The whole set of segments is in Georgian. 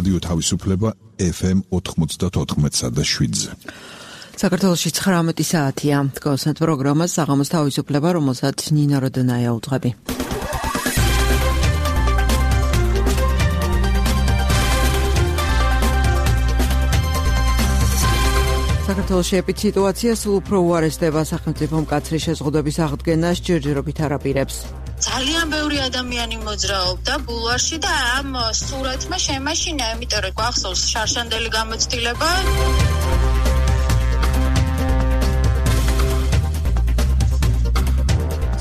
რადიო თავისუფლება FM 94.7-ზე. საქართველოში 19 საათია. გასვენთ პროგრამას საღამოს თავისუფლება, რომელსაც ნინა როდონაია უძღვები. საქართველოში ეპიდემიოლოგია სულ უფრო უარესდება სახელმწიფო მკაცრი შეზღუდვების აღდგენას ჯერჯერობით არაპირებს. ძალიან ბევრი ადამიანი მოძრაობდა ბულვარში და ამ სურათმა შემაშინა, იმიტომ რომ გვახსოვს შარშანდელი გამოცდილება.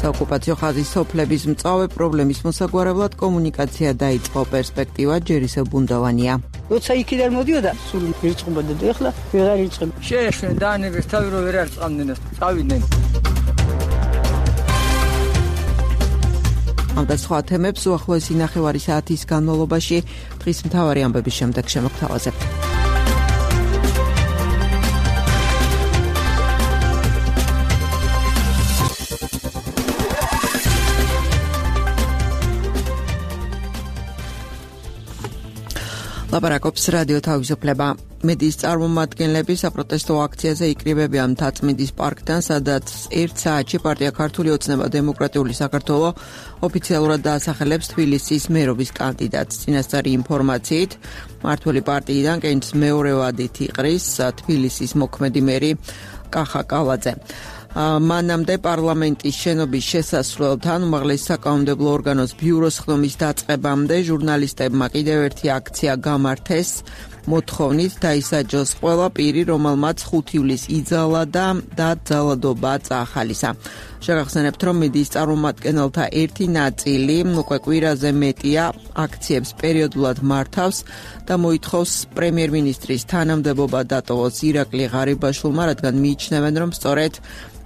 საოკუპაციო ხაზის სოფლების მწვავე პრობლემის მოსაგვარებლად კომუნიკაცია დაიწყო, პერსპექტივა ჯერ ისევ ბუნდოვანია. როცა იქიდან მოდიოდა, სულ ირწყებოდა და ეხლა ვეღარ ირწყება. შეეშვენ დაანებეს თავი რომ ვერ არწყამდნენ, წავიდნენ. ამ და სხვა თემებს უახლოესი ნახევარი საათის განმავლობაში დღის მთავარი ამბების შემდეგ შემოგთავაზებთ. ლაპარაკობს რადიო თავისუფლება. მედიის წარმომადგენლები საპროტესტო აქციაზე იკრიბებიან მთაწმინდის პარკთან, სადაც 1 საათში პარტია ქართული ოცნება დემოკრატიული საქართველო ოფიციალურად დაასახელებს თბილისის მერობის კანდიდატს. წინასწარი ინფორმაციით, მმართველი პარტიიდან კენჭს მეორე ვადით იყრის თბილისის მოქმედი მერი კახა კალაძე. მანამდე პარლამენტის შენობის შესასვლელთან უმაღლეს საკანონმდებლო ორგანოს ბიუროს ხდომის დაწყებამდე ჟურნალისტებმა კიდევ ერთი აქცია გამართეს მოთხოვნით დაისაჯოს ყველა პირი, რომელმაც 5 ივლისს იძალა და ძალადობა წაახალისა. შეგახსენებთ, რომ მედიის წარმომადგენელთა ერთი ნაწილი უკვე კვირაზე მეტია აქციებს პერიოდულად მართავს და მოითხოვს პრემიერ-მინისტრის თანამდებობა დატოვოს ირაკლი ღარიბაშვილმა, რადგან მიიჩნევენ, რომ სწორედ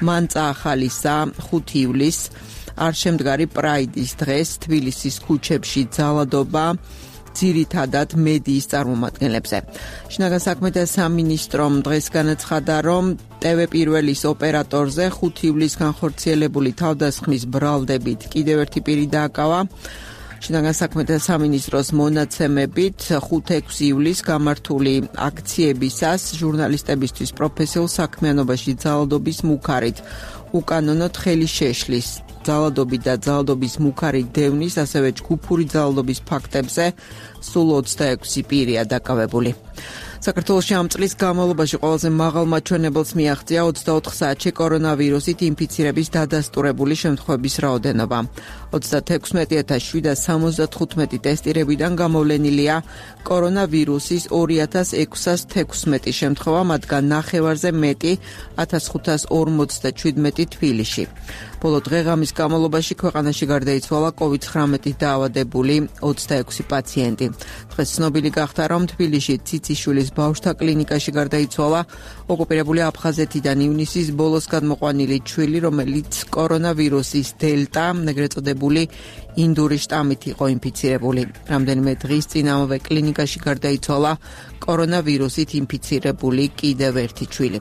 მან წაახალისა 5 ივლისს არშემდგარი პრაიდის დღეს თბილისის ქუჩებში ძალადობა ძირითადად მედიის წარმომადგენლებზე. შინაგან საქმეთა სამინისტრომ დღეს განაცხადა, რომ TV პირველის ოპერატორზე 5 ივლისს განხორციელებული თავდასხმის ბრალდებით კიდევ ერთი პირი დააკავა. შინაგან საქმეთა სამინისტროს მონაცემებით 5-6 ივლისს გამართული აქციებისას ჟურნალისტებისთვის პროფესიულ საქმიანობაში ძალადობის მუქარით უკანონოდ ხელი შეშლის. ძალადობის და ძალადობის მუქარით დევნის, ასევე ჯგუფური ძალადობის ფაქტებზე სულ 26 პირია დაკავებული. საქართველოში ამ წლის განმავლობაში ყველაზე მაღალ მაჩვენებელს მიაღწია 24 საათში კორონავირუსით ინფიცირების დადასტურებული შემთხვევების რაოდენობა. 36775 ტესტირებიდან გამოვლენილია კორონავირუსის 2616 შემთხვევა, მათგან ნახევარზე მეტი 1547 თბილისში. ბოლო დღე-ღამის განმავლობაში ქვეყანაში გარდაიცვალა COVID-19 დაავადებული 26 პაციენტი. დღეს ცნობილი გახდა, რომ თბილისში ციციშვილის ბავშვთა კლინიკაში გარდაიცვალა ოკუპირებული აფხაზეთიდან ივნისის ბოლოს გადმოყვანილი ჩვილი, რომელიც კორონავირუსის დელტა, ეგრეთ წოდებული ინდური შტამით იყო ინფიცირებული. რამდენიმე დღის წინ ამავე კლინიკაში გარდაიცვალა კორონავირუსით ინფიცირებული კიდევ ერთი ჩვილი.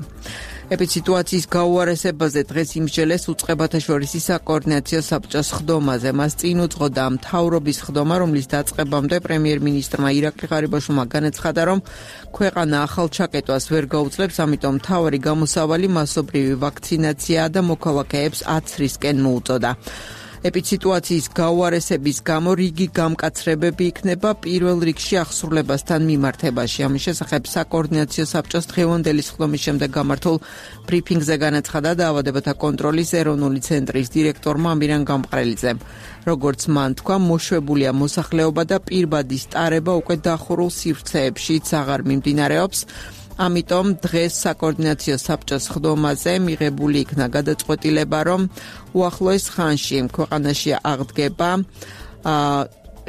ეპიდემიოლოგიის გაუარესებაზე დღეს იმსჯელეს უწყებათა შორის საკოორდინაციო საბჭოს ხდომაზე. მას წინ უძღოდა მთავრობის ხდომა, რომლის დაწყებამდე პრემიერ-მინისტრმა ირაკლი ღარიბაშვილმა განაცხადა, რომ ქვეყანა ახალ ჩაკეტვას ვერ გაუძლებს, ამიტომ მთავარი გამოსავალი მასობრივი ვაქცინაციაა და მოქალაქეებს აცრისკენ მოუწოდა. ეპიდემიოლოგიის გაუარესების გამო რიგი გამკაცრებები იქნება პირველ რიგში აღსრულებასთან მიმართებაში. ამის შესახებ საკოორდინაციო საბჭოს დღევანდელი ხდომის შემდეგ გამართულ ბრიფინგზე განაცხადა დაავადებათა კონტროლის ეროვნული ცენტრის დირექტორმა ამირან გამყრელიძემ. როგორც მან თქვა, მოშვებულია მოსახლეობა და პირბადის ტარება უკვე დახურულ სივრცეებშიც აღარ მიმდინარეობს. ამიტომ დღეს საკოორდინაციო საბჭოს ხდომაზე მიღებული იქნა გადაწყვეტილება, რომ უახლოეს ხანში ქვეყანაში აღდგება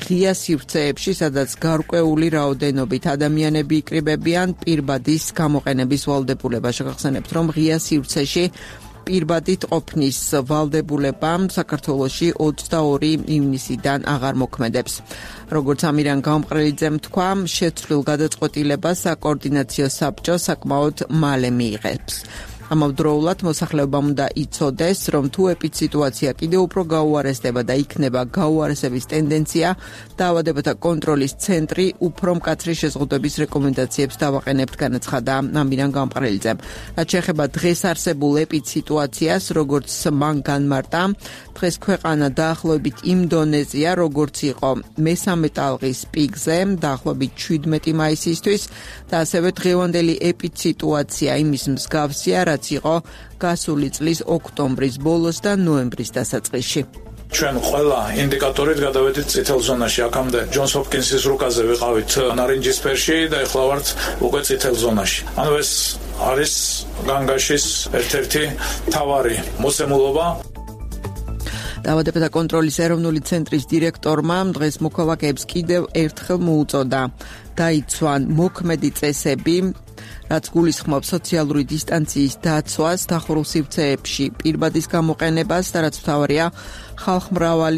ღია სივრცეებში, სადაც გარკვეული რაოდენობით ადამიანები იკრიბებიან პირბადის გამოყენების ვალდებულება. შეგახსენებთ, რომ ღია სივრცეში პირბადით ყოფნის ვალდებულებამ საქართველოში 22 ივნისიდან აღარ მოქმედებს. როგორც ამირან გამყრელიძემ თქვა, შეცვლილ გადაწყვეტილებას საკოორდინაციო საბჭო საკმაოდ მალე მიიღებს. ამავდროულად მოსახლეობამ უნდა იცოდეს, რომ თუ ეპიდსიტუაცია კიდევ უფრო გაუარესდება და იქნება გაუარესების ტენდენცია, დაავადებათა კონტროლის ცენტრი უფრო მკაცრი შეზღუდვების რეკომენდაციებს დავაყენებთ, განაცხადა ამირან გამყრელიძემ. რაც შეეხება დღეს არსებულ ეპიდსიტუაციას, როგორც მან განმარტა, დღეს ქვეყანა დაახლოებით იმ დონეზეა, როგორც იყო მესამე ტალღის პიკზე, დაახლოებით 17 მაისისთვის და ასევე დღევანდელი ეპიდსიტუაცია იმის მსგავსია, რაც იყო გასული წლის ოქტომბრის ბოლოს და ნოემბრის დასაწყისში. ჩვენ ყველა ინდიკატორით გადავედით წითელ ზონაში. აქამდე ჯონს ჰოპკინსის რუკაზე ვიყავით ნარინჯისფერში და ეხლა ვართ უკვე წითელ ზონაში. ანუ ეს არის განგაშის ერთ-ერთი მთავარი მოცემულობა. დაავადებათა კონტროლის ეროვნული ცენტრის დირექტორმა დღეს მოქალაქეებს კიდევ ერთხელ მოუწოდა დაიცვან მოქმედი წესები, რაც გულისხმობს სოციალური დისტანციის დაცვას, დახურულ სივრცეებში პირბადის გამოყენებას და რაც მთავარია ხალხმრავალ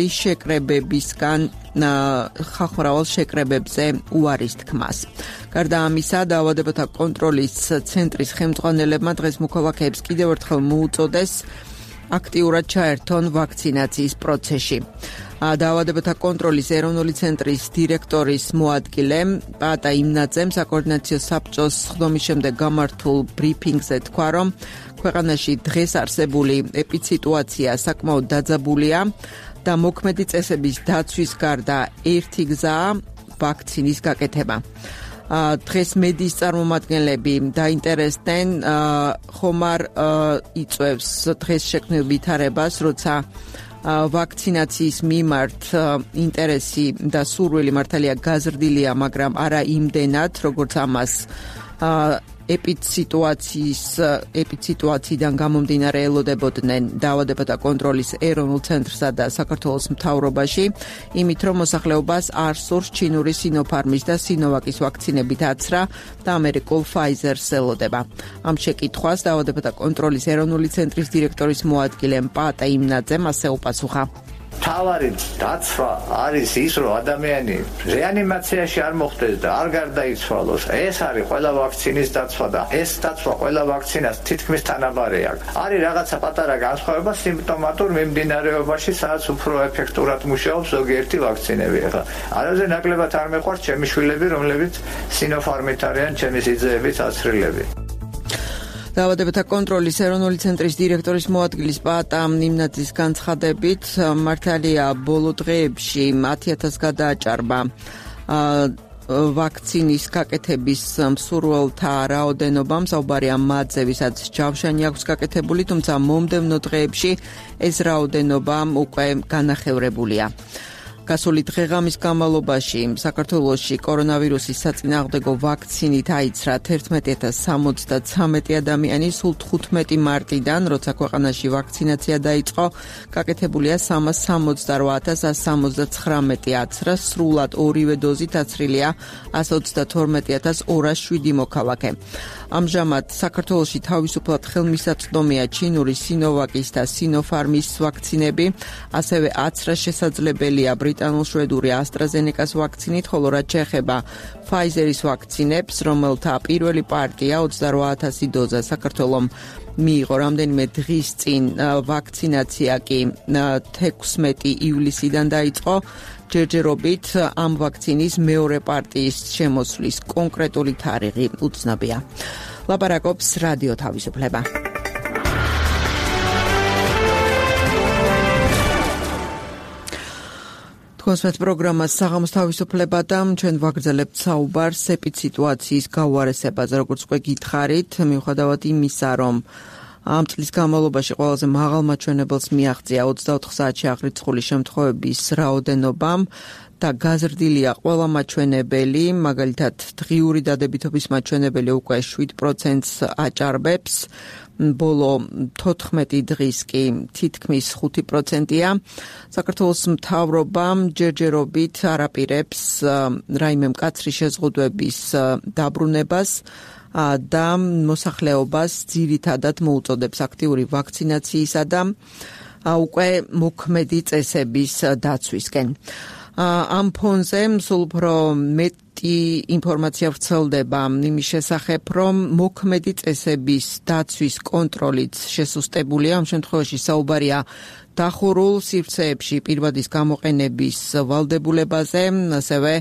შეკრებებზე უარის თქმას. გარდა ამისა, დაავადებათა კონტროლის ცენტრის ხელმძღვანელებმა დღეს მოქალაქეებს კიდევ ერთხელ მოუწოდეს აქტიურად ჩაერთონ ვაქცინაციის პროცესში. დაავადებათა კონტროლის ეროვნული ცენტრის დირექტორის მოადგილე პატა იმნაძემ საკოორდინაციო საბჭოს სხდომის შემდეგ გამართულ ბრიფინგზე თქვა, რომ ქვეყანაში დღეს არსებული ეპიდსიტუაცია საკმაოდ დაძაბულია და მოქმედი წესების დაცვის გარდა ერთი გზაა ვაქცინის გაკეთება. დღეს მედიის წარმომადგენლები დაინტერესდნენ, ხომ არ იწვევს დღეს შექმნილ ვითარებას, როცა ვაქცინაციის მიმართ ინტერესი და სურვილი მართალია გაზრდილია, მაგრამ არა იმდენად, როგორც ამას ეპიდსიტუაციიდან გამომდინარე ელოდებოდნენ დაავადებათა კონტროლის ეროვნულ ცენტრსა და საქართველოს მთავრობაში, იმით რომ მოსახლეობას არ სურს ჩინური სინოფარმის და სინოვაკის ვაქცინებით აცრა და ამერიკულ ფაიზერს ელოდება. ამ შეკითხვას დაავადებათა კონტროლის ეროვნული ცენტრის დირექტორის მოადგილე პატა იმნაძემ ასე უპასუხა. თავარი დაცვა არის ის, რომ ადამიანი რეანიმაციაში არ მოხდეს და არ გარდაიცვალოს. ეს არის ყველა ვაქცინის დაცვა და ეს დაცვა ყველა ვაქცინას თითქმის თანაბარი აქვს. არის რაღაცა პატარა განსხვავება სიმპტომატურ მიმდინარეობაში, სადაც უფრო ეფექტურად მუშაობს ზოგიერთი ვაქცინები. ახლა არაზე ნაკლებად არ მეყვარს ჩემი შვილები, რომლებიც სინოფარმით არიან ჩემი სიძეებით აცრილები. დაავადებათა კონტროლის ეროვნული ცენტრის დირექტორის მოადგილის პატა იმნაძის განცხადებით, მართალია ბოლო დღეებში 10,000 გადააჭარბა ვაქცინის გაკეთების მსურველთა რაოდენობა, საუბარია მათზე, ვისაც ჯავშანი აქვს გაკეთებული, თუმცა მომდევნო დღეებში ეს რაოდენობა უკვე განახევრებულია. გასული დღეღამის განმავლობაში საქართველოში კორონავირუსის საწინააღმდეგო ვაქცინით აიცრა 11,073 ადამიანი, სულ 15 მარტიდან, როცა ქვეყანაში ვაქცინაცია დაიწყო, გაკეთებულია 368,179 აცრა, სრულად ორივე დოზით აცრილია 132,207 მოქალაქე. ამჟამად საქართველოში თავისუფლად ხელმისაწვდომია ჩინური სინოვაკის და სინოფარმის ვაქცინები, ასევე აცრა შესაძლებელია ბრიტანულ-შვედური AstraZeneca-ს ვაქცინით, ხოლო რაც შეეხება Pfizer-ის ვაქცინებს, რომელთა პირველი პარტია 28,000 დოზა საქართველომ მიიღო რამდენიმე დღის წინ, ვაქცინაცია კი 16 ივლისიდან დაიწყო. ჯერჯერობით ამ ვაქცინის მეორე პარტიის შემოსვლის კონკრეტული თარიღი უცნობია. ლაპარაკობს რადიო თავისუფლება. კონსმეთ პროგრამას საღამოს თავისუფლება და ჩვენ ვაგრძელებთ საუბარს ეპიდსიტუაციის გაუარესებაზე, როგორც უკვე გითხარით, მიუხედავად იმისა, რომ ამ წლის განმავლობაში ყველაზე მაღალ მაჩვენებელს მიაღწია 24 საათში აღრიცხული შემთხვევების რაოდენობამ და გაზრდილია ყველა მაჩვენებელი, მაგალითად დღიური დადებითობის მაჩვენებელი უკვე 7%-ს აჭარბებს, ბოლო 14 დღის კი თითქმის 5%-ია. საქართველოს მთავრობამ ჯერჯერობით არაპირებს რაიმე მკაცრი შეზღუდვების დაბრუნებას და მოსახლეობას ძირითადად მოუწოდებს აქტიური ვაქცინაციისა და უკვე მოქმედი წესების დაცვისკენ. ამ ფონზე სულ უფრო ინფორმაცია ვრცელდება იმის შესახებ, რომ მოქმედი წესების დაცვის კონტროლით შესუსტებულია, ამ შემთხვევაში საუბარია დახურულ სივრცეებში პირბადის გამოყენების ვალდებულებაზე, ასევე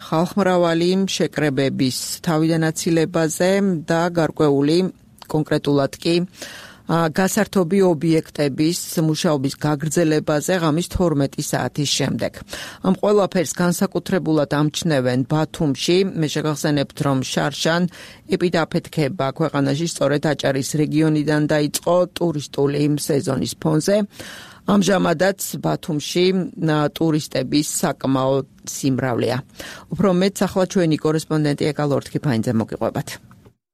ხალხმრავალი შეკრებების თავიდან აცილებაზე და გარკვეული კონკრეტულად კი გასართობი ობიექტების მუშაობის გაგრძელებაზე ღამის 12 საათის შემდეგ. ამ ყველაფერს განსაკუთრებულად ამჩნევენ ბათუმში. მე შეგახსენებთ, რომ შარშან ეპიდაფეთქება ქვეყანაში სწორედ აჭარის რეგიონიდან დაიწყო ტურისტული სეზონის ფონზე. ამჟამადაც ბათუმში ტურისტების საკმაოდ სიმრავლეა. უფრო მეტს ახლა ჩვენი კორესპონდენტი ეკა ლორთქიფაინძე მოგიყვებათ.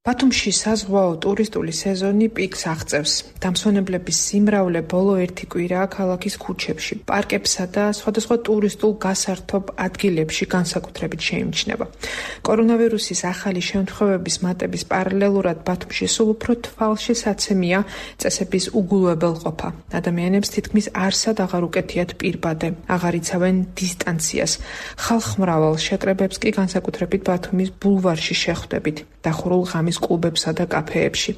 ბათუმში საზღვაო ტურისტული სეზონი პიკს აღწევს. დამსვენებლების სიმრავლე ბოლო 1 კვირაა ქალაქის ქუჩებში, პარკებსა და სხვადასხვა ტურისტულ გასართობ ადგილებში განსაკუთრებით შეიმჩნევა. კორონავირუსის ახალი შემთხვევების მატების პარალელურად ბათუმში სულ უფრო თვალშისაცემია წესების უგულებელყოფა. ადამიანებს თითქმის არსად აღარ უკეთიათ პირბადე, აღარ იცავენ დისტანციას. ხალხმრავალ შეკრებებს კი განსაკუთრებით ბათუმის ბულვარში შეხვდებით. დახურულ ღამის კლუბებსა და კაფეებში,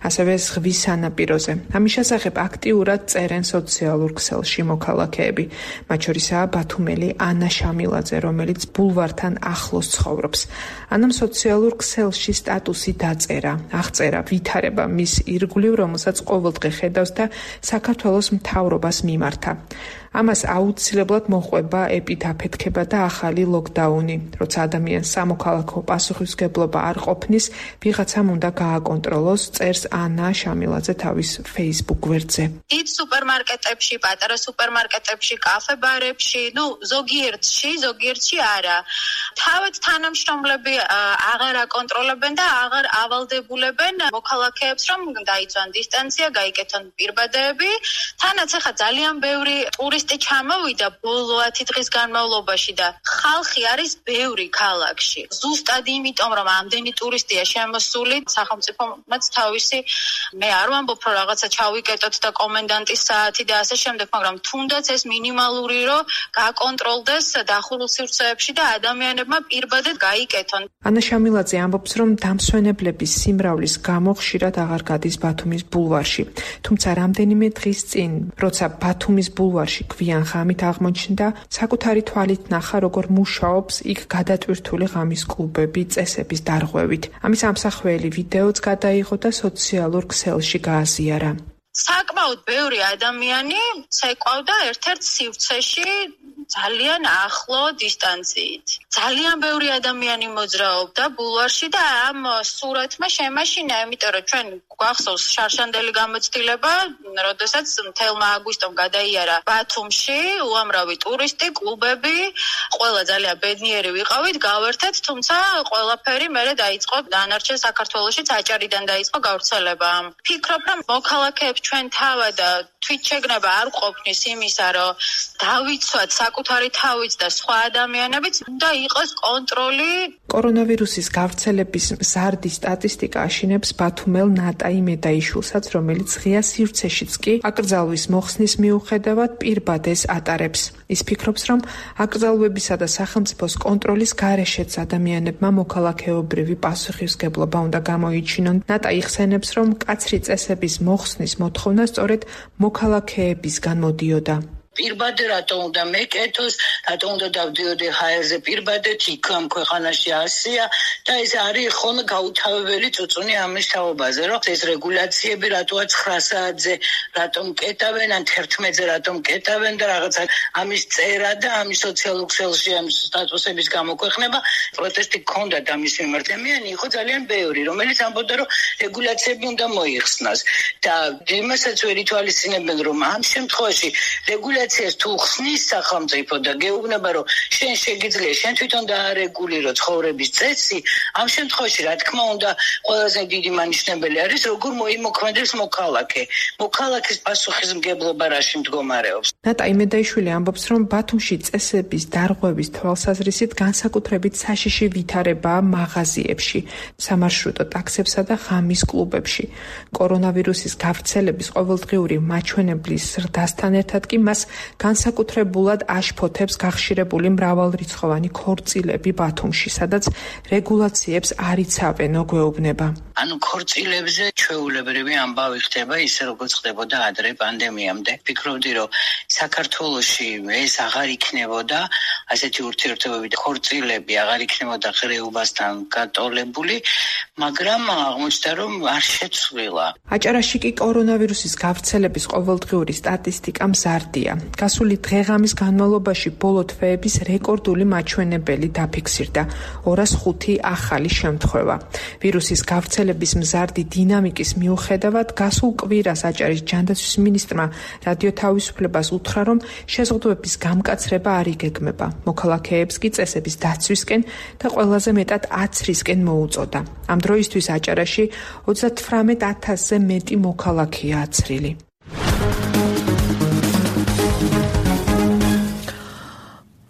ასევე ზღვის სანაპიროზე. ამის შესახებ აქტიურად წერენ სოციალურ ქსელში მოქალაქეები. მათ შორისაა ბათუმელი ანა შამილაძე, რომელიც ბულვართან ახლოს ცხოვრობს. ანამ სოციალურ ქსელში სტატუსი დაწერა, აღწერა ვითარება მის ირგვლივ, რომელსაც ყოველდღე ხედავს და საქართველოს მთავრობას მიმართა. ამას აუცილებლად მოჰყვება ეპიდაფეთქება და ახალი ლოკდაუნი. როცა ადამიანს სამოქალაქო პასუხისმგებლობა არ ყოფნის, ვიღაცამ უნდა გააკონტროლოს, წერს ანა შამილაძე თავის Facebook გვერდზე. დიდ სუპერმარკეტებში, პატარა სუპერმარკეტებში, კაფე-ბარებში, ზოგიერთში არა. თავად თანამშრომლები აღარ აკონტროლებენ და აღარ ავალდებულებენ მოქალაქეებს, რომ დაიცვან დისტანცია, გაიკეთონ პირბადეები. თანაც ახლა ძალიან ბევრი ტურისტი ჩამოვიდა ბოლო 10 დღის განმავლობაში და ხალხი არის ბევრი ქალაქში. ზუსტად იმიტომ, რომ ამდენი ტურისტია შემოსული, სახელმწიფომაც თავისი მე არ ვამბობ, რომ რაღაცა ჩავიკეტოთ და კომენდანტის საათი და ასე შემდეგ, მაგრამ თუნდაც ეს მინიმალური რომ გაკონტროლდეს დახურულ სივრცეებში და ადამიანებმა პირბადე გაიკეთონ. ანა შამილაძე ამბობს, რომ დამსვენებლების სიმრავლის გამო ხშირად აღარ გადის ბათუმის ბულვარში. თუმცა რამდენიმე დღის წინ, როცა ბათუმის ბულვარში გვიან ღამით აღმოჩნდა, საკუთარი თვალით ნახა, როგორ მუშაობს იქ გადატვირთული ღამის კლუბები წესების დარღვევით. ამის ამსახველი ვიდეოც გადაიღო და სოციალურ ქსელში გააზიარა. საკმაოდ ბევრი ადამიანი ცეკვავდა ერთ-ერთ სივრცეში ძალიან ახლო დისტანციით. ძალიან ბევრი ადამიანი მოძრაობდა ბულვარში და ამ სურათმა შემაშინა, იმიტომ რომ ჩვენ გვახსოვს შარშანდელი გამოცდილება, როდესაც მთელმა აგვისტომ გადაიარა ბათუმში უამრავი ტურისტი, კლუბები, ყველა ძალიან ბედნიერი ვიყავით, გავერთეთ, თუმცა ყველაფერი მერე დაიწყო დანარჩენ საქართველოშიც აჭარიდან დაიწყო გავრცელება. ფიქრობ, რომ მოქალაქეებს ჩვენ თავად თვითშეგნება არ ყოფნის იმისა, რომ დავიცვათ საკუთარი თავიც და სხვა ადამიანებიც, უნდა იყოს კონტროლი. კორონავირუსის გავრცელების მზარდი სტატისტიკა აშინებს ბათუმელ ნატაი მედაიშვილსაც, რომელიც ღია სივრცეშიც კი აკრძალვის მოხსნის მიუხედავად პირბადეს ატარებს. ის ფიქრობს, რომ აკრძალვებისა და სახელმწიფოს კონტროლის გარეშეც ადამიანებმა მოქალაქეობრივი პასუხისმგებლობა უნდა გამოიჩინონ. ნატაი ხსენებს, რომ მკაცრი წესების მოხსნის მოთხოვნა სწორედ მოქალაქეებისგან მოდიოდა. პირბადე რატო უნდა მეკეთოს, რატო უნდა დავდიოდი ჰაერზე პირბადეთ, იქ ამ ქვეყანაში ასია და ეს არის ხოლმე გაუთავებელი წუწუნი ამის თაობაზე, რომ ეს რეგულაციები რატოა 9 საათზე რატომ კეტავენ, ან 11-ზე რატომ კეტავენ და რაღაცა ამის წერა და ამის სოციალურ ქსელში ამ სტატუსების გამოქვეყნება, პროტესტი გქონდა და ამის მიმართ ადამიანი იყო ძალიან ბევრი, რომელიც ამბობდა, რომ რეგულაციები უნდა მოიხსნას და იმასაც ვერ ითვალისწინებენ, რომ ამ შემთხვევაში თუ ხსნის სახელმწიფო და გეუბნება, რომ შენ შეგიძლია, შენ თვითონ დაარეგულირო ცხოვრების წესი, ამ შემთხვევაში, რა თქმა უნდა, ყველაზე დიდი მანიშნებელი არის, როგორ მოიმოქმედებს მოქალაქე. მოქალაქის პასუხისმგებლობა რაში მდგომარეობს. ნატაი მედაიშვილი ამბობს, რომ ბათუმში წესების დარღვევის თვალსაზრისით განსაკუთრებით საშიში ვითარებაა მაღაზიებში, სამარშრუტო ტაქსებსა და ღამის კლუბებში. კორონავირუსის გავრცელების ყოველდღიური მაჩვენებლის ზრდასთან ერთად კი მას განსაკუთრებულად აშფოთებს გახშირებული მრავალრიცხოვანი ქორწილები ბათუმში, სადაც რეგულაციებს არ იცავენო გვეუბნება. ანუ ქორწილებზე ჩვეულებრივი ამბავი ხდება ისე როგორც ხდებოდა ადრე პანდემიამდე. ვფიქრობდი, რომ საქართველოში ეს აღარ იქნებოდა ასეთი ურთიერთობები და ქორწილები აღარ იქნებოდა ღრეობასთან გატოლებული, მაგრამ აღმოჩნდა, რომ არ შეცვლილა. აჭარაში კი კორონავირუსის გავრცელების ყოველდღიური სტატისტიკა მზარდია. გასული დღეღამის განმავლობაში ბოლო თვეების რეკორდული მაჩვენებელი დაფიქსირდა 205 ახალი შემთხვევა. ვირუსის გავრცელების მზარდი დინამიკის მიუხედავად, გასულ კვირას აჭარის ჯანდაცვის მინისტრმა რადიო თავისუფლებას უთხრა, რომ შეზღუდვების გამკაცრება არ იგეგმება. მოქალაქეებს კი წესების დაცვისკენ და ყველაზე მეტად აცრისკენ მოუწოდა. ამ დროისთვის აჭარაში 38,000-ზე მეტი მოქალაქეა აცრილი.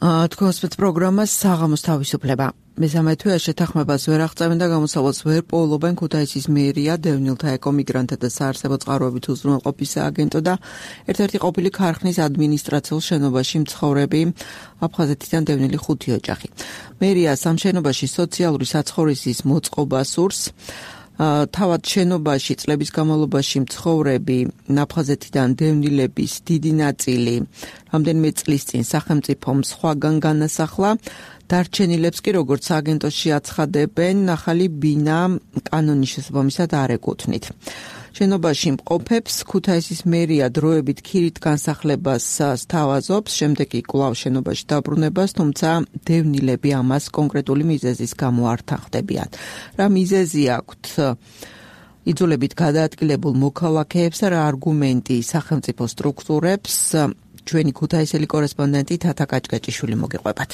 თქვენს პროგრამას საღამოს თავისუფლება. მესამე თვეა შეთანხმებას ვერ აღწევენ და გამოსავალს ვერ პოულობენ ქუთაისის მერია, დევნილთა ეკომიგრანტთა და საარსებო წყაროებით უზრუნველყოფის სააგენტო და ერთ-ერთი ყოფილი ქარხნის ადმინისტრაციულ შენობაში მცხოვრები აფხაზეთიდან დევნილი 5 ოჯახი. მერია სამ შენობაში სოციალური საცხოვრისის მოწყობა სურს. თავად შენობაში წლების განმავლობაში მცხოვრები აფხაზეთიდან დევნილების დიდი ნაწილი რამდენიმე წლის წინ სახელმწიფომ სხვაგან განასახლა. დარჩენილებს კი როგორც სააგენტოში აცხადებენ, ახალი ბინა კანონის შესაბამისად არ ეკუთვნით. შენობაში მყოფებს ქუთაისის მერია დროებით ქირით განსახლებას სთავაზობს, შემდეგ კი კვლავ შენობაში დაბრუნებას, თუმცა დევნილები ამას კონკრეტული მიზეზის გამო არ თანხმდებიან. რა მიზეზი აქვთ იძულებით გადაადგილებულ მოქალაქეებს და რა არგუმენტი სახელმწიფო სტრუქტურებს, ჩვენი ქუთაისელი კორესპონდენტი თათა კაჭკაჭიშვილი მოგიყვებათ.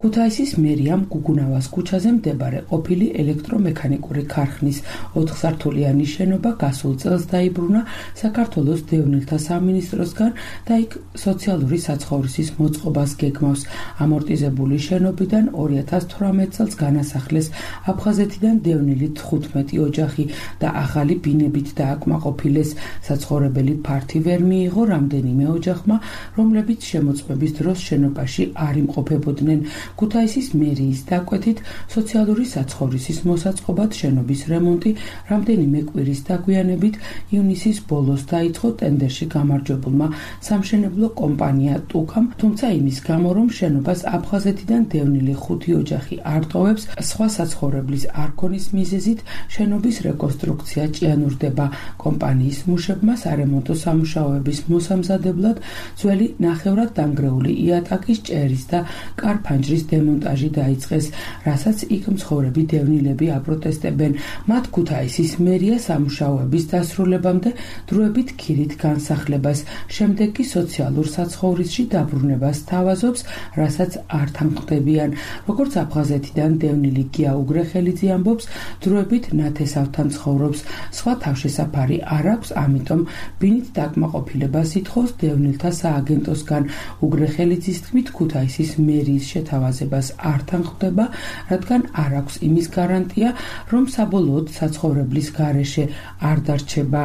ქუთაისის მერიამ გუგუნავას ქუჩაზე მდებარე ყოფილი ელექტრომექანიკური ქარხნის 4-სართულიანი შენობა გასულ წელს დაიბრუნა საქართველოს დევნილთა სამინისტროსგან და იქ სოციალური საცხოვრისის მოწყობას გეგმავს. ამორტიზებული შენობიდან 2018 წელს განასახლეს აფხაზეთიდან დევნილი 15 ოჯახი და ახალი ბინებით დააკმაყოფილეს. საცხოვრებელი ფართი ვერ მიიღო რამდენიმე ოჯახმა, რომლებიც შემოწმების დროს შენობაში არ იმყოფებოდნენ. ქუთაისის მერიის დაკვეთით სოციალური საცხოვრისის მოსაწყობად შენობის რემონტი რამდენიმე კვირის დაგვიანებით ივნისის ბოლოს დაიწყო ტენდერში გამარჯვებულმა სამშენებლო კომპანია ტუკამ, თუმცა იმის გამო, რომ შენობას აფხაზეთიდან დევნილი 5 ოჯახი არ ტოვებს, სხვა საცხოვრებლის არ ქონის მიზეზით შენობის რეკონსტრუქცია ჭიანურდება. კომპანიის მუშებმა სარემონტო სამუშაოების მოსამზადებლად ძველი ნახევრად დანგრეული იატაკის ჭერის და კარფანჯრის დემონტაჟი დაიწყეს, რასაც იქ მცხოვრები დევნილები აპროტესტებენ. მათ ქუთაისის მერია სამუშაოების დასრულებამდე დროებით ქირით განსახლებას, შემდეგ კი სოციალურ საცხოვრისში დაბრუნებას თავაზობს, რასაც არ თანხმდებიან. როგორც აფხაზეთიდან დევნილი გია უგრეხელიძე ამბობს, დროებით ნათესავთან ცხოვრობს, სხვა თავშესაფარი არ აქვს, ამიტომ ბინით დაკმაყოფილებას ითხოვს დევნილთა სააგენტოსგან. უგრეხელიძის თქმით, ქუთაისის მერიის შეთავაზებას არ თანხმდება, რადგან არ აქვს იმის გარანტია, რომ საბოლოოდ საცხოვრებლის გარეშე არ დარჩება.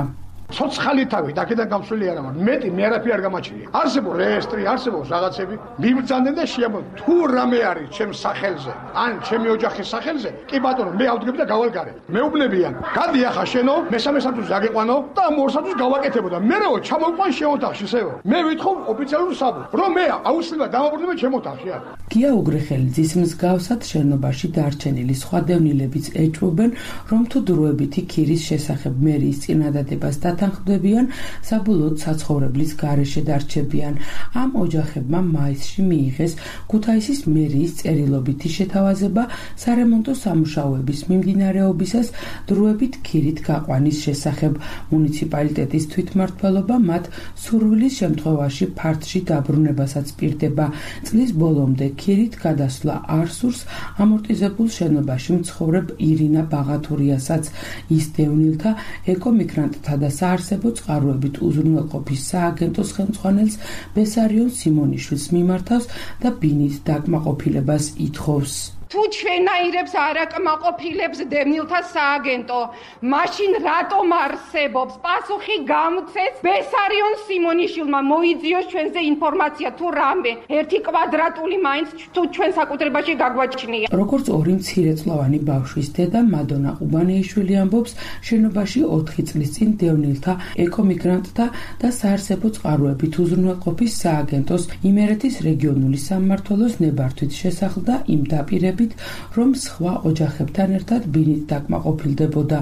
ცოცხალი თავით აქედან გამსვლელი არა მაქვს. მეტი მე არაფერი არ გამაჩნია. არსებობს რეესტრი, არსებობს რაღაცები. მიბრძანდნენ და შეამბობ, თუ რამე არის ჩემს სახელზე, ან ჩემი ოჯახის სახელზე, კი ბატონო, მე ავდგები და გავალგარებ. მეუბნებიან, გადი ახლა შენო, მესამე სართულზე აგეყვანო და ამ ორ სართულს გავაკეთებოდა. მერეო ჩამოვყვან შენ ოთახში, სევო. მე ვითხოვ ოფიციალურ საბუთს, რომ მე აუცილებლად დამაბრუნებ ჩემ ოთახში. გია უგრეხელიძის მსგავსად შენობაში დარჩენილი სხვა დევნილებიც ეჭვობენ, რომ თუ დროებითი ქირის შესახებ მერიის წინადადებას თანხმდებიან, საბოლოოდ საცხოვრებლის გარეშე დარჩებიან. ამ ოჯახებმა მაისში მიიღეს ქუთაისის მერიის წერილობითი შეთავაზება სარემონტო სამუშაოების მიმდინარეობისას დროებით ქირით გაყვანის შესახებ. მუნიციპალიტეტის თვითმმართველობა მათ სურვილის შემთხვევაში ფართში დაბრუნებასაც პირდება. წლის ბოლომდე ქირით გადასვლა არ სურს ამორტიზებულ შენობაში მცხოვრებ ირინა ბაღათურიასაც. ის დევნილთა ეკომიგრანტთა და საარსებო წყაროებით უზრუნველყოფის სააგენტოს ხელმძღვანელს ბესარიონ სიმონიშვილს მიმართავს და ბინით დაკმაყოფილებას ითხოვს. თუ ჩვენაირებს არ აკმაყოფილებს დევნილთა სააგენტო, მაშინ რატომ არსებობს? პასუხი გამცეს ბესარიონ სიმონიშვილმა, მოიძიოს ჩვენზე ინფორმაცია თუ რამე, 1 კვადრატული მაინც თუ ჩვენ საკუთრებაში გაგვაჩნია. როგორც ორი მცირეწლოვანი ბავშვის დედა მადონა ყუბანეიშვილი ამბობს, შენობაში 4 წლის წინ დევნილთა, ეკომიგრანტთა და საარსებო წყაროებით უზრუნველყოფის სააგენტოს იმერეთის რეგიონული სამმართველოს ნებართვით შესახლდა იმ დაპირებით, რომ სხვა ოჯახებთან ერთად ბინით დაკმაყოფილდებოდა.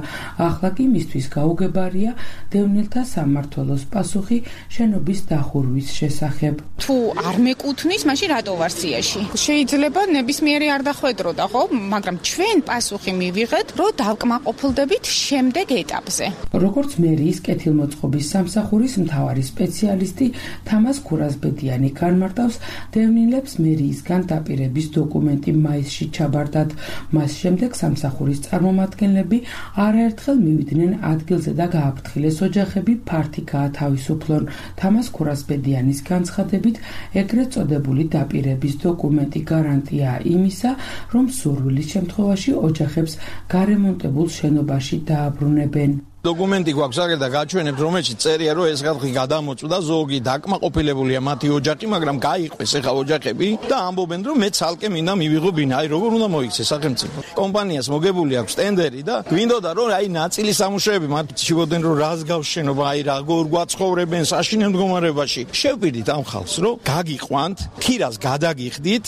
ახლა კი მისთვის გაუგებარია დევნილთა სამმართველოს პასუხი შენობის დახურვის შესახებ. თუ არ მეკუთვნის, მაშინ რატო ვარ სიაში? შეიძლება ნებისმიერი არ დახვედროდა, ხო? მაგრამ ჩვენ პასუხი მივიღეთ, რომ დავკმაყოფილდებით შემდეგ ეტაპზე. როგორც მერიის კეთილმოწყობის სამსახურის მთავარი სპეციალისტი თამას ქურაზბედიანი განმარტავს, დევნილებს მერიისგან დაპირების დოკუმენტი მაისში ჩაბარდათ. მას შემდეგ სამსახურის წარმომადგენლები არაერთხელ მივიდნენ ადგილზე და გააფრთხილეს ოჯახები ფართი გაათავისუფლონ. თამას ქურაზბედიანის განცხადებით, ეგრეთ წოდებული დაპირების დოკუმენტი გარანტიაა იმისა, რომ სურვილის შემთხვევაში ოჯახებს გარემონტებულ შენობაში დააბრუნებენ. დოკუმენტი გვაქვს აგერ და გაჩვენებთ, რომელშიც წერია, რომ ეს ხალხი გადამოწვდა, ზოგი დაკმაყოფილებულია მათი ოჯახი, მაგრამ გაიყვეს ახლა ოჯახები და ამბობენ, რომ მე ცალკე მინდა მივიღო ბინა. აი როგორ უნდა მოიქცეს სახელმწიფო. კომპანიას მოგებული აქვს ტენდერი და გვინდოდა, რომ აი ნაწილი სამუშაოები მათ შევოდნენ, რომ რას გავშენობა, აი როგორ გვაცხოვრებენ საშინელ მდგომარეობაში. შევპირდით ამ ხალხს, რომ გაგიყვანთ, ქირას გადაგიხდით,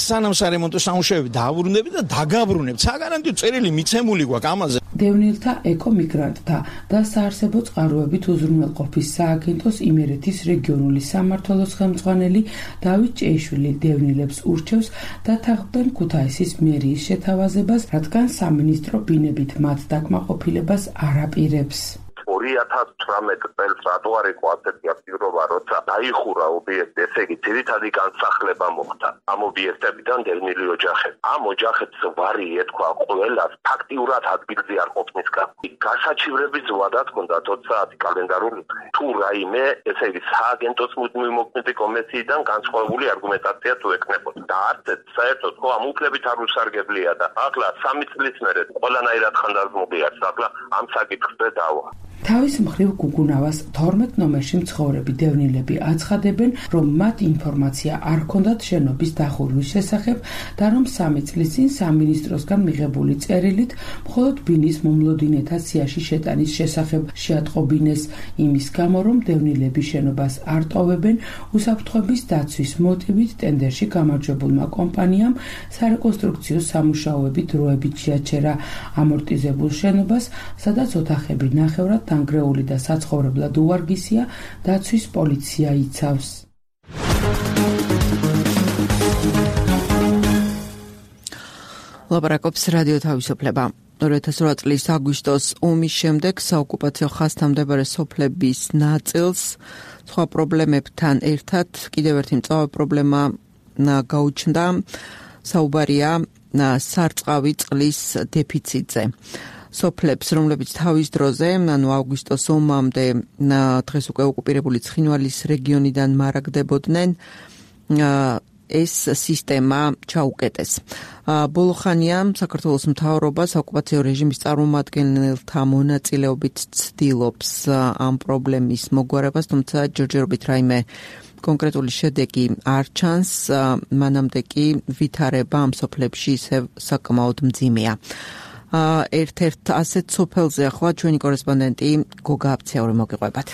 სანამ სარემონტო სამუშაოები დააბრუნდებით და დაგაბრუნებთ. საგარანტიო წერილი მიცემული გვაქვს ამაზე. დევნილთა, ეკომიგრანტთა და საარსებო წყაროებით უზრუნველყოფის სააგენტოს იმერეთის რეგიონული სამმართველოს ხელმძღვანელი დავით ჭეიშვილი დევნილებს ურჩევს დათანხმდნენ ქუთაისის მერიის შეთავაზებას, რადგან სამინისტრო ბინებით მათ დაკმაყოფილებას არ აპირებს. 2018 წელს რატო არ იყო ასეთი აქტიურობა, როცა დაიხურა ობიექტი, ესე იგი ძირითადი განსახლება მოხდა ამ ობიექტებიდან დევნილი ოჯახები. ამ ოჯახებს ვარი ეთქვა ყველას ფაქტიურად ადგილზე არ ყოფნის გამო. გასაჩივრების ვადაც ჰქონდა 20 საათი კალენდარული დღე. თუ რაიმე, ესე იგი სააგენტოს მუდმივი მოქმედი კომისიიდან განსხვავებული არგუმენტაცია თუ ეკნებოდა. და არც საერთოდ ხო ამ უფლებით არ უსარგებლია და ახლა 3 წლის მერე ყველანაირად ხანდაზმული არის. ახლა ამ საკითხზე დავა. თავის მხრივ გუგუნავას 12 ნომერში მცხოვრები დევნილები აცხადებენ, რომ მათ ინფორმაცია არ ჰქონდათ შენობის დახურვის შესახებ და რომ 3 წლის წინ სამინისტროსგან მიღებული წერილით მხოლოდ ბინის მომლოდინეთა სიაში შეტანის შესახებ შეატყობინეს. იმის გამო, რომ დევნილები შენობას არ ტოვებენ, უსაფრთხოების დაცვის მოტივით ტენდერში გამარჯვებულმა კომპანიამ სარეკონსტრუქციო სამუშაოები დროებით შეაჩერა ამორტიზებულ შენობას, სადაც ოთახები ნახევრად დანგრეული და საცხოვრებლად უვარგისია, დაცვის პოლიცია იცავს. ლაპარაკობს რადიო თავისუფლება. 2008 წლის აგვისტოს ომის შემდეგ საოკუპაციო ხაზთან მდებარე სოფლების ნაწილს სხვა პრობლემებთან ერთად კიდევ ერთი მწვავე პრობლემა გაუჩნდა. საუბარია სარწყავი წყლის დეფიციტზე. სოფლებს, რომლებიც თავის დროზე, ანუ აგვისტოს ომამდე დღეს უკვე ოკუპირებული ცხინვალის რეგიონიდან მარაგდებოდნენ, ეს სისტემა ჩაუკეტეს. ბოლო ხანია საქართველოს მთავრობა საოკუპაციო რეჟიმის წარმომადგენელთა მონაწილეობით ცდილობს ამ პრობლემის მოგვარებას, თუმცა ჯერჯერობით რაიმე კონკრეტული შედეგი არ ჩანს, მანამდე კი ვითარება ამ სოფლებში ისევ საკმაოდ მძიმეა. ერთ-ერთ ასეთ სოფელზე ახლა ჩვენი კორესპონდენტი გოგა აფციური მოგიყვებათ.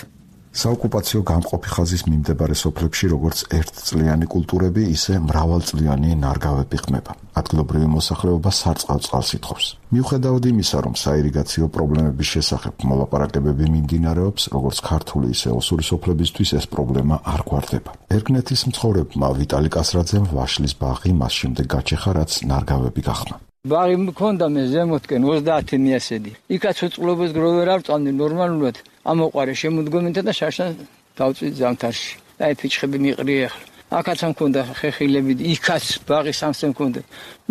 საოკუპაციო გამყოფი ხაზის მიმდებარე სოფლებში როგორც ერთწლიანი კულტურები, ისე მრავალწლიანი ნარგავები ხმება. ადგილობრივი მოსახლეობა სარწყავ წყალს ითხოვს. მიუხედავად იმისა, რომ საირიგაციო პრობლემების შესახებ მოლაპარაკებები მიმდინარეობს, როგორც ქართული, ისე ოსური სოფლებისთვის ეს პრობლემა არ გვარდება. ერგნეთის მცხოვრებმა ვიტალი კასრაძემ ვაშლის ბაღი მას შემდეგ გაჩეხა, რაც ნარგავები გახმა. ბაღი მქონდა მე ზემოთკენ 30 მიასედი. იქაც უწყლობას გროვერ არ წამდი ნორმალურად. ამოყარე შემოდგომითა და შაშან დავწვით ზამთარში. აი ფიჩხები მიყრია ახლა. აქაც მქონდა ხეხილები, იქაც ბაღის სამსე მქონდა.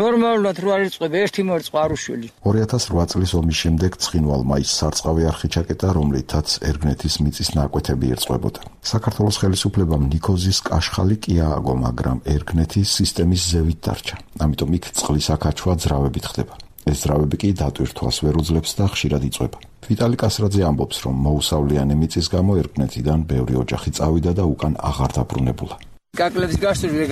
ნორმალურად რო არ იწყებ ერთი მორწყვა არ უშველი. 2008 წლის ომის შემდეგ ცხინვალმა ის სარწყავი არხი ჩაკეტა, რომლითაც ერგნეთის მიწის ნაკვეთები ერწყმებოდა. საქართველოს ხელისუფლებამ ნიქოზის კაშხალი კი ააგო, მაგრამ ერგნეთი სისტემის ზევით დარჩა. ამიტომ იქ წყლის აკაჩვა ძრავებით ხდება. ეს ძრავები კი დატვირთვას ვერ უძლებს და ხშირად იწვება. ვიტალი კასრაძე ამბობს, რომ მოუსავლიანი მიწის გამო ერგნეთიდან ბევრი ოჯახი წავიდა და უკან აღარ დაბრუნებულა. გაკლებს გასული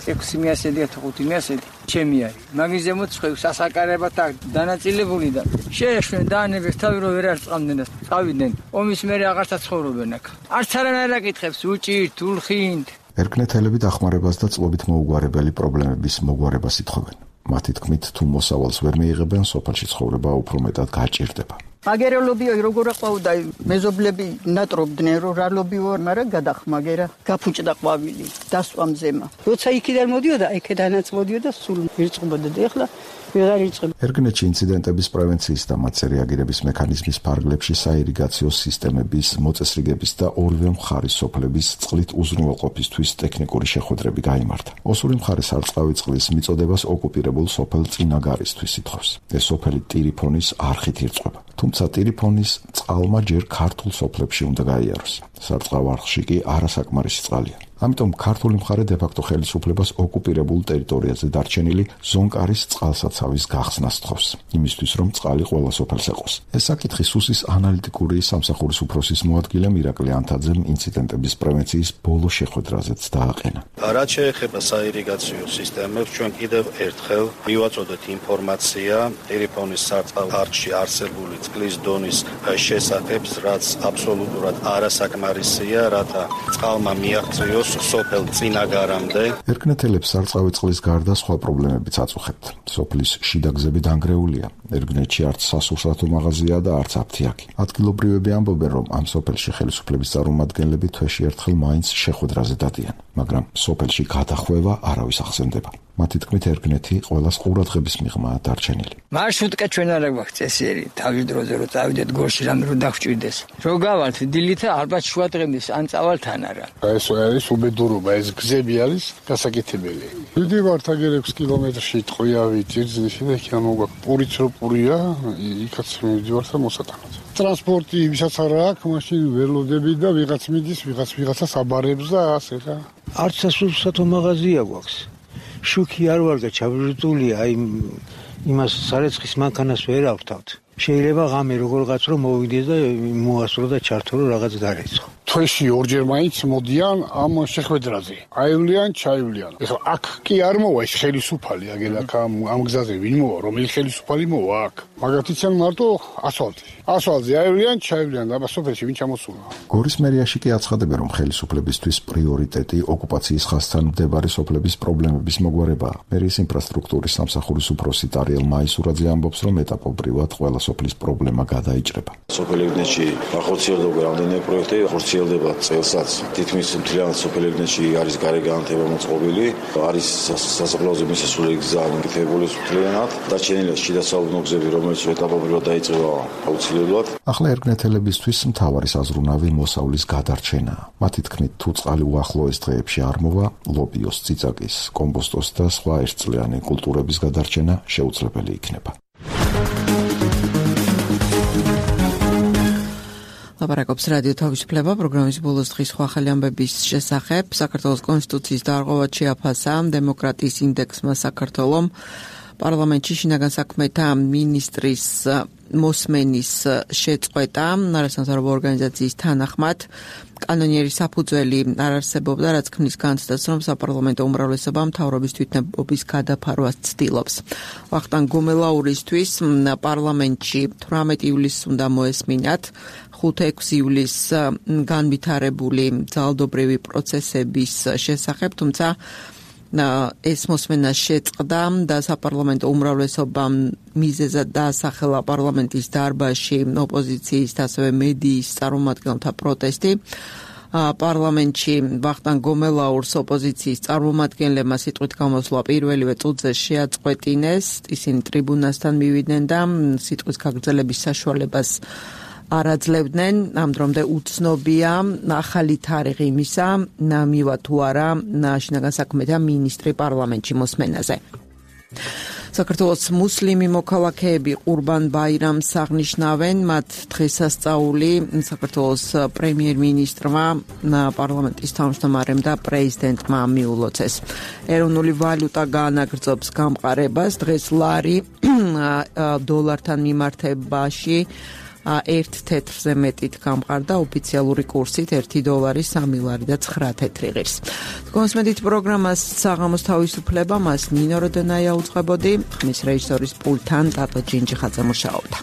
600-ი 500-ი ჩემი არის. მაგის ზემოთ ხევ სასაკარებად დანაწილებული და შეეშვენ დაანებეს თავი რომ ვერ არწყამდნენ და წავიდნენ. ომის მერე აღარც ცხოვრობენ აქ. არც არანაირ აკითხებს უჭირთ, ულხინთ. ერგნეთელები დახმარებას და წლობით მოუგვარებელი პრობლემების მოგვარებას ითხოვენ. მათი თქმით, თუ მოსავალს ვერ მიიღებენ, სოფელში ცხოვრება უფრო მეტად გაჭირდება. მაგერელობიო როგორ აყვავდა მეზობლები ნატრობდნენ რომ რა ლობიო მაგრამ გადახმაგერა გაფუჭდა ყვავილი დასვამ ზემა როცა იქიდან მოდიოდა იქიდანაც მოდიოდა სულ ირწყებოდა და ეხლა ვეღარ ირწყება. ერგნეთში ინციდენტების პრევენციის და მათზე რეაგირების მექანიზმის ფარგლებში საირიგაციო სისტემების მოწესრიგების და ორივე მხარის სოფლების წყლით უზრუნველყოფისთვის ტექნიკური შეხვედრები გაიმართა. ოსური მხარე სარწყავი წყლის მიწოდებას ოკუპირებულ სოფელ წინაგარისთვის ითხოვს. ეს სოფელი ტირიფონის არხით ირწყება. თუმცა ტირიფონის წყალმა ჯერ ქართულ სოფლებში უნდა გაიაროს. სარწყავ არხში კი არასაკმარისი წყალია. ამიტომ ქართული მხარე დე-ფაქტო ხელისუფლებას ოკუპირებულ ტერიტორიაზე დარჩენილი ზონკარის წყალსაცავის გახსნას თხოვს, იმისთვის რომ წყალი ყველა სოფელს ეყოს. ეს საკითხი სუსის ანალიტიკური სამსახურის უფროსის მოადგილე მირაკლი ანთაძემ ინციდენტების პრევენციის ბოლო შეხვედრაზეც დააყენა. რაც შეეხება საირიგაციო სისტემებს, ჩვენ კიდევ ერთხელ მივაწოდეთ ინფორმაცია ტირიფონის სარწყავ არხში არსებული წყლის დონის შესახებ, რაც აბსოლუტურად არასაკმარისია, რათა წყალმა მიაღწიოს სოფელ წინაგარამდე. ერგნეთელებს სარწყავი წყლის გარდა სხვა პრობლემებიც აწუხებთ. სოფლის შიდა გზები დანგრეულია. ერგნეთში არც სასურსათო მაღაზია და არც აფთიაქი. ადგილობრივები ამბობენ, რომ ამ სოფელში ხელისუფლების წარმომადგენლები თვეში ერთხელ მაინც შეხვედრაზე დადიან, მაგრამ სოფელში გადახვევა არავის ახსენდება. მათი თქმით, ერგნეთი ყველას ყურადღების მიღმაა დარჩენილი. მარშრუტკა ჩვენ არ აქვს წესიერი, თავის დროზე რო წავიდეთ გორში რამე რო დაგვჭირდეს. რო გავალთ დილით ალბათ შუა დღემდე ან წავალთან არა. ეს არის უბედურობა, ეს გზები არის გასაკეთებელი. ვიდივართ აგერ 6 კილომეტრში ტყვიავით ძირზეში და იქ ამოგვაქვს პურიც რო პურია, იქაც მივიდივართ და მოსატანად. ტრანსპორტი ვისაც არ აქვს, მაშინ ველოდები და ვიღაც მიდის, ვიღაცას აბარებს და ასე რა. არც სასურსათო მაღაზია გვაქვს. შუქი არ ვარ და ჩავრიტულია, აი იმას სარეცხის მანქანას ვერ ავთავთ. შეიძლება ღამე როგორღაც რომ მოვიდეს და მოასრო და ჩართო რომ რაღაც დარეცხო. თვეში ორჯერ მაინც მოდიან ამ შეხვედრაზე. აივლიან, ჩაივლიან. ეხლა აქ კი არ მოვა ეს ხელისუფალი, აგერ აქ ამ გზაზე ვინ მოვა, რომელი ხელისუფალი მოვა აქ. მაგათ იციან მარტო ასფალტი. ასფალტზე აივლიან, ჩაივლიან და სოფელში ვინ ჩამოსულა. გორის მერიაში კი აცხადებენ, რომ ხელისუფლებისთვის პრიორიტეტი ოკუპაციის ხაზთან მდებარე სოფლების პრობლემების მოგვარებაა. მერიის ინფრასტრუქტურის სამსახურის უფროსი ტარიელ მაისურაძე ამბობს, რომ ეტაპობრივად ყველა სოფლის პრობლემა გადაიჭრება. სოფელ ერგნეთში ახორციელდება რამდენიმე პროექტი, ახორციელდება წელსაც. თითქმის მთლიანად სოფელ ერგნეთში არის გარე განათება მოწყობილი, არის სასაფლაოზე მისასვლელი გზა მიკეთებული მთლიანად. დარჩენილია შიდა საუკუნო გზები, რომელიც ეტაპობრივად დაიწყება აუცილებლად. ახლა ერგნეთელებისთვის მთავარი საზრუნავი მოსავლის გადარჩენაა. მათი თქმით, თუ წყალი უახლოეს დღეებში არ მოვა, ლობიოს, ციცაკის, კომპოსტოს და სხვა ერთწლიანი კულტურების გადარჩენა შეუძლებელი იქნება. ლაპარაკობს რადიო თავისუფლება პროგრამის ბოლოს დღის სხვა ახალი ამბების შესახებ. საქართველოს კონსტიტუციის დარღვევად შეაფასა დემოკრატიის ინდექსმა საქართველოს პარლამენტში შინაგან საქმეთა მინისტრის მოსმენის შეწყვეტა. არასამთავრობო ორგანიზაციის თანახმად კანონიერი საფუძველი არ არსებობდა, რაც ქმნის განცდას, რომ საპარლამენტო უმრავლესობა მთავრობის თვითნებობის გადაფარვას ცდილობს. ვახტანგ გუმელაურისთვის პარლამენტში 18 ივლისს უნდა მოესმინათ 5-6 ივლისს განვითარებული ძალადობრივი პროცესების შესახებ, თუმცა ეს მოსმენა შეწყდა და საპარლამენტო უმრავლესობამ მიზეზად დაასახელა პარლამენტის დარბაზში ოპოზიციის და ასევე მედიის წარმომადგენელთა პროტესტი. პარლამენტში ვახტანგ გომელაურს ოპოზიციის წარმომადგენლებმა სიტყვით გამოსვლა პირველივე წუთზე შეაწყვეტინეს. ისინი ტრიბუნასთან მივიდნენ და სიტყვის გაგრძელების საშუალებას არაძლევდნენ, ამ დრომდე უცნობია ახალი თარიღი იმისა, მივა თუ არა შინაგან საქმეთა მინისტრი პარლამენტში მოსმენაზე. საქართველოს მუსლიმი მოქალაქეები ყურბან ბაირამს აღნიშნავენ, მათ დღესასწაული საქართველოს პრემიერ-მინისტრმა, პარლამენტის თავმჯდომარემ და პრეზიდენტმა მიულოცეს. ეროვნული ვალუტა გაანაგრძობს გამყარებას, დღეს ლარი დოლართან მიმართებაში 1 თეთრზე მეტით გამყარდა, ოფიციალური კურსით 1 დოლარი 3 ლარი და 9 თეთრი ღირს. კონსმედით პროგრამას საღამოს თავისუფლება, მას ნინო როდენაია უძღვებოდი, ხმის რეჟისორის პულტთან ტატო ჯინჯიხაძე მუშაობდა.